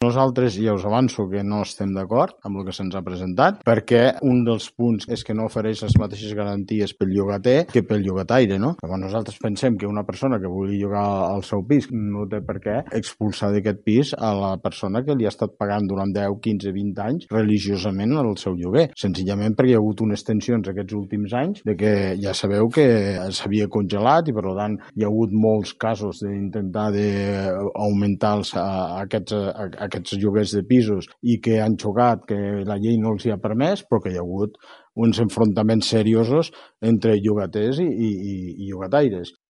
Nosaltres ja us avanço que no estem d'acord amb el que se'ns ha presentat, perquè un dels punts és que no ofereix les mateixes garanties pel llogater que pel llogataire, no? Llavors nosaltres pensem que una persona que vulgui llogar el seu pis no té per què expulsar d'aquest pis a la persona que li ha estat pagant durant 10, 15, 20 anys religiosament el seu lloguer, senzillament perquè hi ha hagut unes tensions aquests últims anys de que ja sabeu que s'havia congelat i per tant hi ha hagut molts casos d'intentar d'augmentar aquests lloguers de pisos i que han xocat, que la llei no els hi ha permès, però que hi ha hagut uns enfrontaments seriosos entre llogaters i llogataires.